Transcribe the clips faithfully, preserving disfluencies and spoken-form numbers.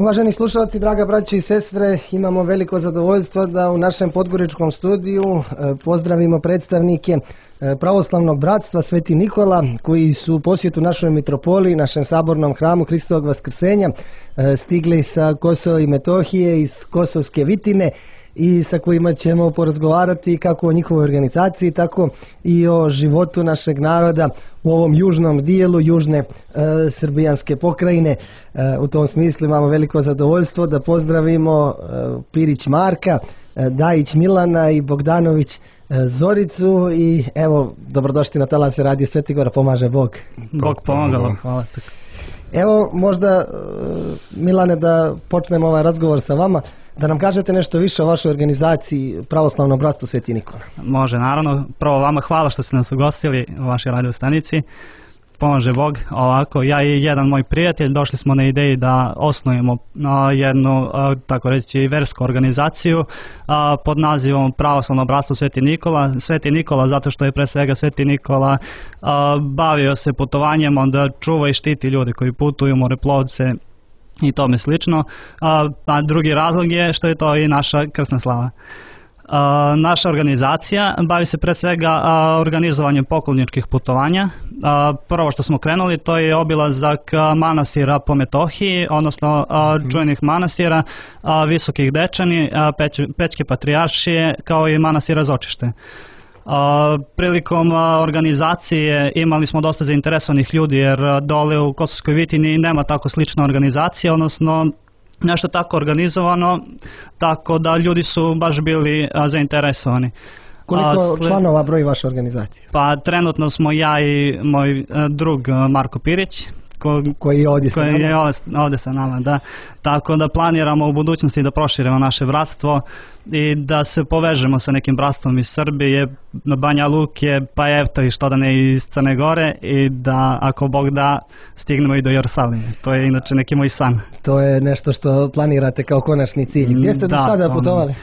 Uvaženi slušalci, draga braće i sestre, imamo veliko zadovoljstvo da u našem podgoričkom studiju pozdravimo predstavnike pravoslavnog bratstva Sveti Nikola, koji su u posjetu našoj mitropoliji, našem sabornom hramu Hristovog Vaskrsenja, stigli sa Kosova i Metohije, iz Kosovske Vitine, i sa kojima ćemo porazgovarati kako o njihovoj organizaciji, tako i o životu našeg naroda u ovom južnom dijelu južne e, srbijanske pokrajine. E, u tom smislu imamo veliko zadovoljstvo da pozdravimo e, Pirić Marka, e, Dajić Milana i Bogdanović e, Zoricu. I evo, dobrodošli na Talase Radio Svetigora, pomaže Bog. Bog pomagalo, hvala. Evo, možda Milane, da počnemo ovaj razgovor sa vama, da nam kažete nešto više o vašoj organizaciji Pravoslavno bratstvo Sveti Nikola. Može, naravno. Prvo vama hvala što ste nas ugostili u vašoj radio stanici. Pomože Bog. Ovako, ja i jedan moj prijatelj došli smo na ideji da osnujemo jednu, tako reći, versku organizaciju pod nazivom Pravoslavno bratstvo Sveti Nikola. Sveti Nikola zato što je pre svega Sveti Nikola bavio se putovanjem, onda čuva i štiti ljude koji putuju, moreplovce i tome slično. A, a drugi razlog je što je to i naša krsna slava. A, naša organizacija bavi se pre svega a, organizovanjem pokloničkih putovanja. A, prvo što smo krenuli to je obilazak manastira po Metohiji, odnosno a, čuvenih manastira, a, Visokih Dečani, a, Peć, Pećke Patrijaršije, kao i manastira Zočište. Uh, prilikom uh, organizacije imali smo dosta zainteresovanih ljudi, jer uh, dole u Kosovskoj Vitini nema tako slična organizacija, odnosno nešto tako organizovano, tako da ljudi su baš bili uh, zainteresovani. Koliko uh, sled... članova broji vaša organizacija? Pa trenutno smo ja i moj uh, drug uh, Marko Pirić, Ko, koji je ovdje, koji je ovdje, ovdje sa nama, da. Tako da planiramo u budućnosti da proširimo naše bratstvo i da se povežemo sa nekim bratstvom iz Srbije, Banja Luke, pa eto i što da ne iz Crne Gore, i da ako Bog da stignemo i do Jerusalima. To je inače neki moj san. To je nešto što planirate kao konačni cilj. Gdje ste do sada putovali?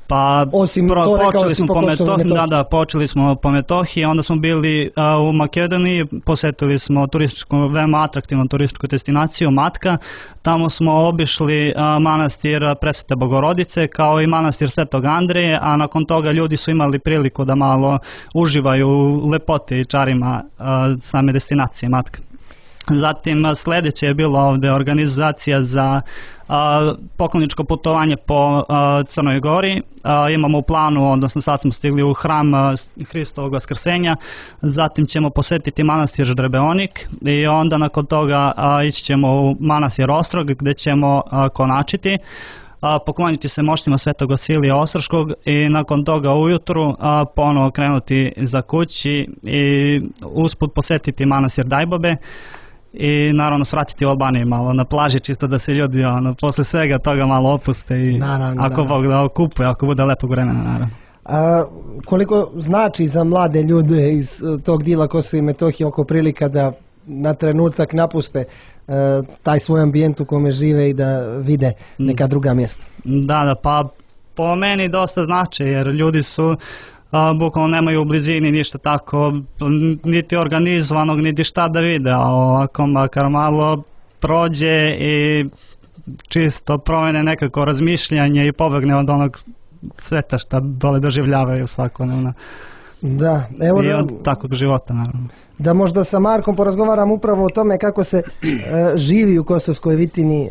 Pa osim pro, to počeli smo po Metohiji, da, da, počeli smo po Metohiji, onda smo bili uh, u Makedoniji, posjetili smo turističku, veoma atraktivnu turističku destinaciju Matka. Tamo smo obišli uh, manastir Presvete Bogorodice, kao i manastir Svetog Andreje, a nakon toga ljudi su imali priliku da malo uživaju u lepoti i čarima uh, same destinacije Matka. Zatim sljedeće je bila ovdje organizacija za a, pokloničko putovanje po a, Crnoj Gori. A, imamo u planu, odnosno sad smo stigli u hram a, Hristovog Vaskrsenja, zatim ćemo posjetiti manastir Ždrebeonik i onda nakon toga a, ići ćemo u manastir Ostrog gdje ćemo a, konačiti. A, pokloniti se moštima Svetog Vasilija Ostroškog i nakon toga ujutru a, ponovo krenuti za kući i usput posjetiti manastir Dajbobe. I naravno svratiti u Albaniji malo na plaži, čisto da se ljudi ono, posle svega toga malo opuste i naravno, ako naravno. Bog da okupuje, ako bude lepog vremena, naravno. A koliko znači za mlade ljude iz tog dijela Kosova i Metohije oko prilika da na trenutak napuste e, taj svoj ambijent u kome žive i da vide neka druga mjesta? Da, da, pa po meni dosta znači, jer ljudi su Uh, bukvalno nemaju u blizini ništa tako, niti organizovanog, niti šta da vide, a ovako makar malo prođe i čisto promene nekako razmišljanje i pobegne od onog sveta šta dole doživljavaju svakodnevno. Da, evo i da, od takvog života, naravno. Da možda sa Markom porazgovaram upravo o tome kako se e, živi u Kosovskoj Vitini. E,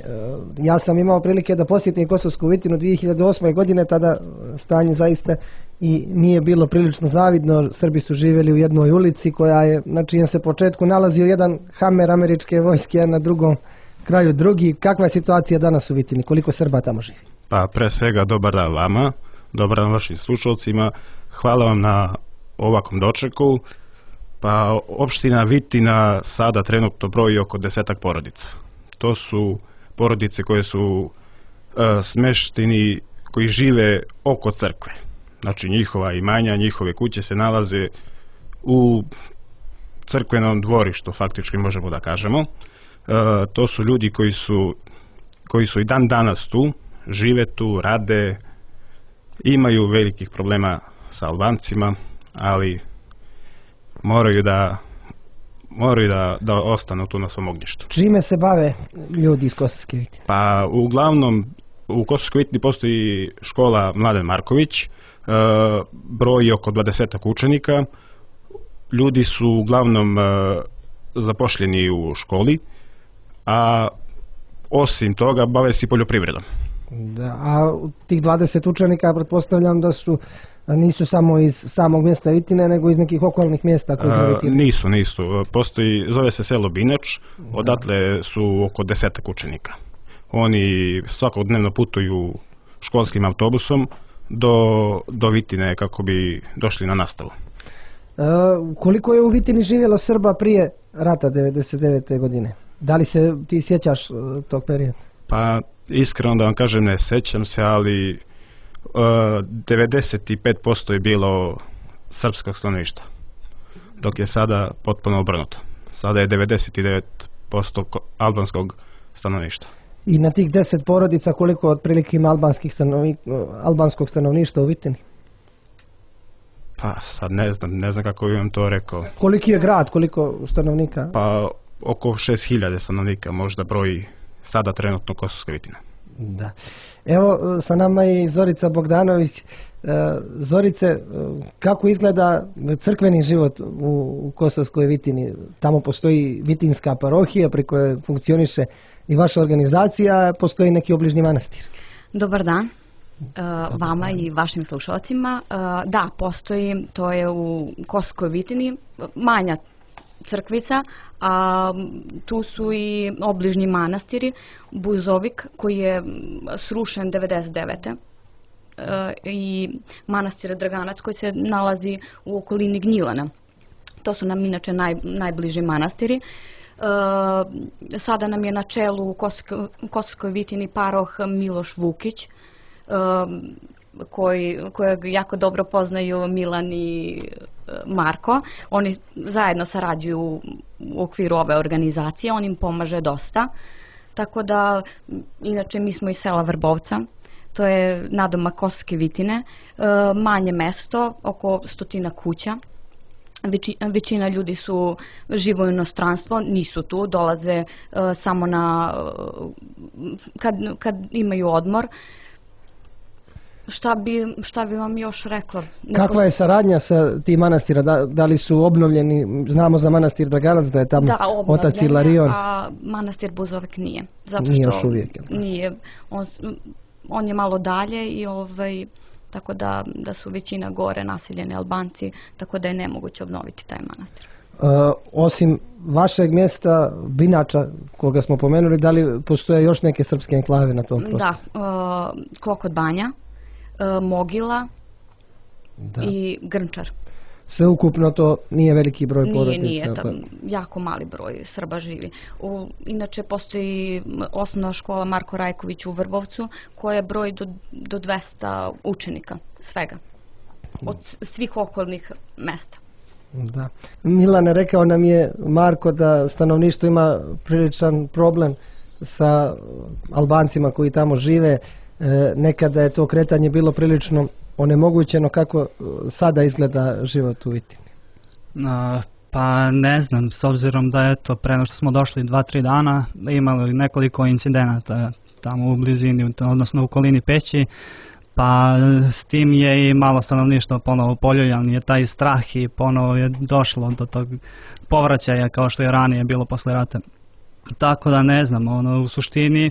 ja sam imao prilike da posjetim Kosovsku Vitinu dvije hiljade osme. godine, tada stanje zaista i nije bilo prilično zavidno. Srbi su živjeli u jednoj ulici koja je, na čijem se početku nalazio jedan Hamer američke vojske, a na drugom kraju drugi. Kakva je situacija danas u Vitini? Koliko Srba tamo živi? Pa pre svega dobar dan vama, dobar dan vašim slušalcima. Hvala vam na ovakvom dočeku. Pa opština Vitina sada trenutno broji oko desetak porodica. To su porodice koje su e, smešteni, koji žive oko crkve. Znači njihova imanja, njihove kuće se nalaze u crkvenom dvorištu, faktički možemo da kažemo. E, to su ljudi koji su, koji su i dan danas tu, žive tu, rade, imaju velikih problema sa Albancima, ali moraju da moraju da, da ostanu tu na svom ognjištu. Čime se bave ljudi iz Kosovske Vitine? Pa uglavnom u Kosovskoj Vitini postoji škola Mladen Marković, e, broj oko dvadesetak učenika. Ljudi su uglavnom e, zapošljeni u školi, a osim toga bave se i poljoprivredom. Da, a tih dvadeset učenika pretpostavljam da su nisu samo iz samog mjesta Vitine, nego iz nekih okolnih mjesta koji A, Vitine. nisu, nisu. Postoji, zove se selo Binač, odatle su oko desetak učenika. Oni svakodnevno putuju školskim autobusom do, do Vitine kako bi došli na nastavu. E, koliko je u Vitini živjelo Srba prije rata devedeset devete. godine? Da li se ti sjećaš e, tog perioda? Pa iskreno da vam kažem ne sjećam se, ali Uh, devedeset pet posto je bilo srpskog stanovništva, dok je sada potpuno obrnuto. Sada je devedeset devet posto albanskog stanovništva. I na tih deset porodica koliko otprilike ima albanskih stanovni, albanskog stanovništva u Vitini? Pa sad ne znam, ne znam kako bih vam to rekao. Koliki je grad, koliko stanovnika? Pa oko šest hiljada stanovnika možda broji sada trenutno Kosovska Vitina. Da. Evo, sa nama je Zorica Bogdanović. Zorice, kako izgleda crkveni život u Kosovskoj Vitini? Tamo postoji Vitinska parohija pri kojoj funkcioniše i vaša organizacija, postoji neki obližnji manastir. Dobar dan vama i vašim slušalcima. Da, postoji, to je u Kosovskoj Vitini, manja crkvica, a tu su i obližnji manastiri, Buzovik koji je srušen devedeset devete. i manastir Draganac koji se nalazi u okolini Gnjilana. To su nam inače naj, najbliži manastiri. E, sada nam je na čelu u Kosovskoj, Kosovskoj Vitini paroh Miloš Vukić, e, koji, kojeg jako dobro poznaju Milan i Marko. Oni zajedno sarađuju u okviru ove organizacije, on im pomaže dosta. Tako da, inače mi smo iz sela Vrbovca, to je nadomak Kosovske Vitine, e, manje mesto, oko stotina kuća. Veći, većina ljudi su živo u inostranstvu, nisu tu, dolaze e, samo na, kad, kad imaju odmor. Šta bi, šta bi vam još rekla? Neko... Kakva je saradnja sa tim manastira? Da, da li su obnovljeni? Znamo za manastir Draganac da je tamo da, otac Ilarion. A manastir Buzovik nije. Zato nije što još uvijek. Nije. On, on je malo dalje i ovaj, tako da, da su većina gore naseljeni Albanci, tako da je nemoguće obnoviti taj manastir. Uh, osim vašeg mjesta Binača, koga smo pomenuli, da li postoje još neke srpske enklave na tom prostoru? Da, uh, Klokot Banja, uh, Mogila da. I Grnčar. Sve ukupno to nije veliki broj nije, porodica? Nije, tam, jako mali broj Srba živi. U, inače postoji osnovna škola Marko Rajković u Vrbovcu koja broji do, do dvesta učenika svega, od svih okolnih mesta. Da. Milane, rekao nam je Marko da stanovništvo ima priličan problem sa Albancima koji tamo žive. E, nekada je to kretanje bilo prilično onemogućeno. Kako sada izgleda život u Vitini? Uh, pa ne znam, s obzirom da je to pre nego što smo došli dva, tri dana, imali nekoliko incidenata tamo u blizini, odnosno u okolini Peći, pa s tim je i malo stanovništvo ponovo poljuljan, je taj strah i ponovo je došlo do tog povraćaja kao što je ranije bilo posle rata. Tako da ne znam, ono, u suštini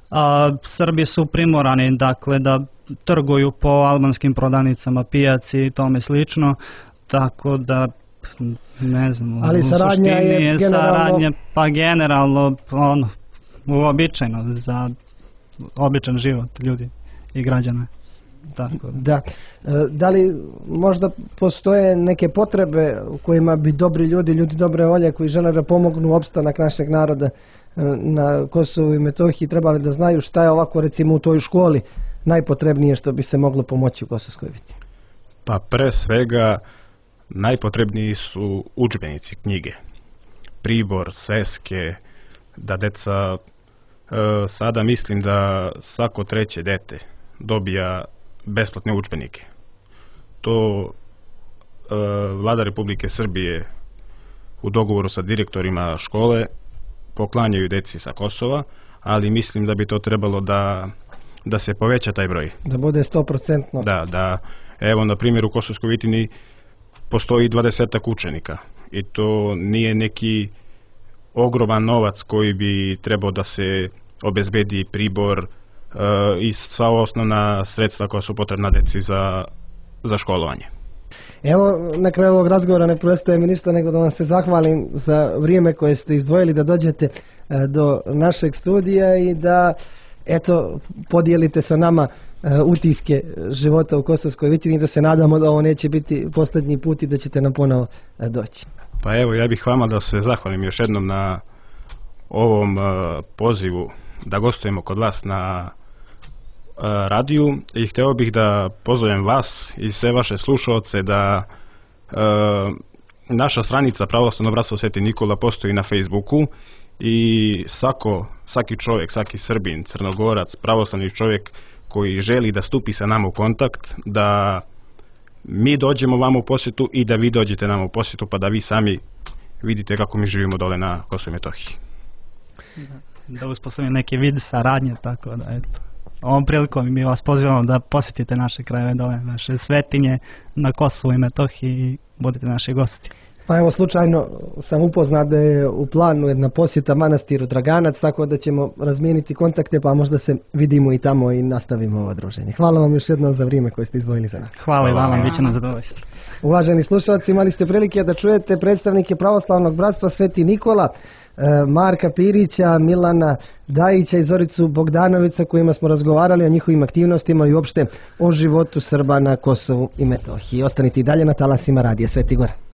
a, Srbi su primorani dakle da trguju po albanskim prodavnicama, pijaci i tome slično, tako da ne znam, ali saradnja je, je generalno... saradnja, pa generalno ono, uobičajeno za običan život ljudi i građana. Tako. Da. Da li možda postoje neke potrebe u kojima bi dobri ljudi, ljudi dobre volje koji žele da pomognu opstanak našeg naroda na Kosovu i Metohiji, trebali da znaju šta je ovako recimo u toj školi najpotrebnije što bi se moglo pomoći u Kosovskoj Vitini? Pa pre svega najpotrebniji su udžbenici, knjige, pribor, sveske, da deca e, sada mislim da svako treće dete dobija besplatne udžbenike. To e, Vlada Republike Srbije u dogovoru sa direktorima škole poklanjaju deci sa Kosova, ali mislim da bi to trebalo da, da se poveća taj broj. Da bude sto posto. Da, da, evo na primjer u Kosovskoj Vitini postoji dvadesetak učenika i to nije neki ogroman novac koji bi trebao da se obezbedi pribor e, i sva osnovna sredstva koja su potrebna deci za, za školovanje. Evo, na kraju ovog razgovora ne preostaje mi ništa nego da vam se zahvalim za vrijeme koje ste izdvojili da dođete e, do našeg studija i da eto podijelite sa nama e, utiske života u Kosovskoj Vitini i da se nadamo da ovo neće biti posljednji put i da ćete nam ponovo e, doći. Pa evo, ja bih vama da se zahvalim još jednom na ovom uh, pozivu da gostujemo kod vas na uh, radiju i hteo bih da pozovem vas i sve vaše slušaoce da uh, naša stranica Pravoslavno bratstvo Sveti Nikola postoji na Facebooku i svako, svaki čovjek, svaki Srbin, Crnogorac, pravoslavni čovjek koji želi da stupi sa nama u kontakt, da mi dođemo vam u posjetu i da vi dođete nam u posjetu pa da vi sami vidite kako mi živimo dole na Kosovu i Metohiji. Da, da uspostavimo neki vid saradnje, tako da eto. Ovom prilikom mi vas pozivamo da posjetite naše krajeve dole, naše svetinje na Kosovu i Metohiji i budete naši gosti. Pa evo, slučajno sam upoznat da je u planu jedna posjeta manastiru Draganac, tako da ćemo razmijeniti kontakte pa možda se vidimo i tamo i nastavimo ovo druženje. Hvala vam još jednom za vrijeme koje ste izdvojili za nas. Hvala i vama, bit će nam zadovoljstvo. Uvaženi slušalci, imali ste prilike da čujete predstavnike Pravoslavnog bratstva Sveti Nikola, Marka Pirića, Milana Dajića i Zoricu Bogdanovića, kojima smo razgovarali o njihovim aktivnostima i uopšte o životu Srba na Kosovu i Metohiji. Ostanite i dalje na talasima Radija Sveti Gora.